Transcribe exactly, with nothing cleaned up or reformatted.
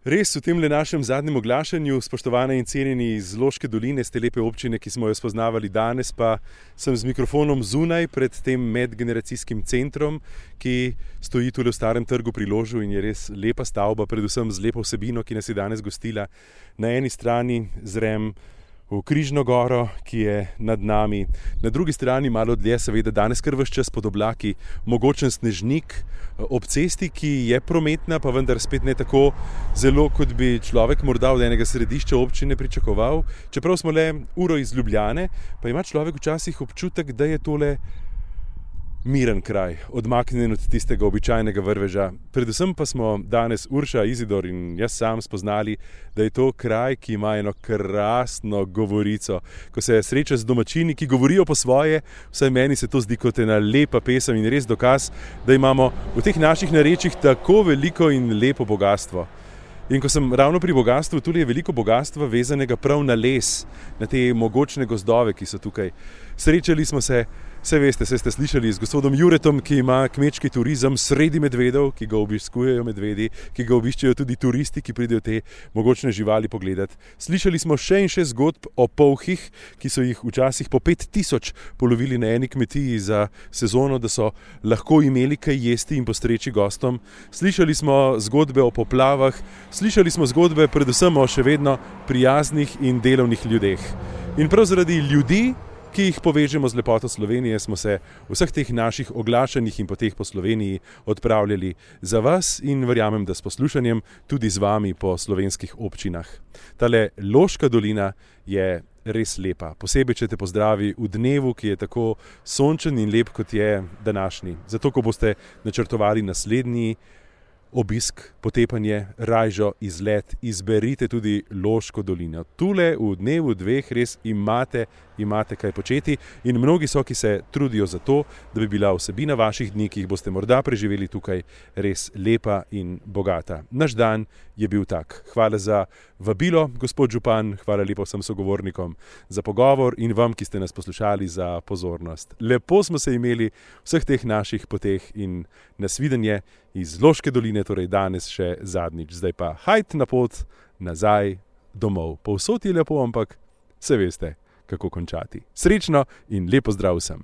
Res v tem le našem zadnjem oglašanju, spoštovane in cenjeni iz Loške doline, z te lepe občine, ki smo jo spoznavali danes, pa sem z mikrofonom zunaj pred tem medgeneracijskim centrom, ki stoji tule v Starem trgu pri Ložu in je res lepa stavba, predvsem z lepo vsebino, ki nas je danes gostila. Na eni strani zrem v Križno goro, ki je nad nami, na drugi strani malo dlje, seveda danes kar ves čas pod oblaki, mogočen snežnik ob cesti, ki je prometna, pa vendar spet ne tako zelo, kot bi človek morda od enega središča občine pričakoval. Čeprav smo le uro iz Ljubljane, pa ima človek včasih občutek, da je tole miren kraj, odmaknjen od tistega običajnega vrveža. Predvsem pa smo danes Urša, Izidor in jaz sam spoznali, da je to kraj, ki ima eno krasno govorico. Ko se sreča z domačini, ki govorijo po svoje, vsaj meni se to zdi kot ena lepa pesem in res dokaz, da imamo v teh naših narečjih tako veliko in lepo bogastvo. In ko sem ravno pri bogastvu, tudi je veliko bogastva vezanega prav na les, na te mogočne gozdove, ki so tukaj. Srečali smo se, vse veste, se ste slišali z gospodom Juretom, ki ima kmečki turizem sredi medvedov, ki ga obiskujejo medvedi, ki ga obiščejo tudi turisti, ki pridejo te mogočne živali pogledati. Slišali smo še in še zgodb o polhih, ki so jih včasih po pet tisoč polovili na eni kmetiji za sezono, da so lahko imeli kaj jesti in postreči gostom. Slišali smo zgodbe o poplavah, slišali smo zgodbe predvsem o še vedno prijaznih in delovnih ljudeh. In prav zaradi ljudi, ki jih povežemo z lepoto Slovenije, smo se v vseh teh naših oglašanjih in poteh po Sloveniji odpravljali za vas in verjamem, da s poslušanjem tudi z vami po slovenskih občinah. Tale Loška dolina je res lepa, posebej, če te pozdravi v dnevu, ki je tako sončen in lep, kot je današnji. Zato, ko boste načrtovali naslednji obisk, potepanje, rajžo, izlet, izberite tudi Loško dolino. Tule v dnevu dveh res imate, imate kaj početi in mnogi so, ki se trudijo za to, da bi bila vsebina vaših dni, ki jih boste morda preživeli tukaj, res lepa in bogata. Naš dan je bil tak. Hvala za vabilo, gospod župan, hvala lepo vsem sogovornikom za pogovor in vam, ki ste nas poslušali, za pozornost. Lepo smo se imeli vseh teh naših poteh in nasvidenje iz Loške doline, torej danes še zadnjič. Zdaj pa hajt na pot nazaj domov. Povsod je lepo, ampak se veste, kako končati. Srečno in lepo zdrav vsem.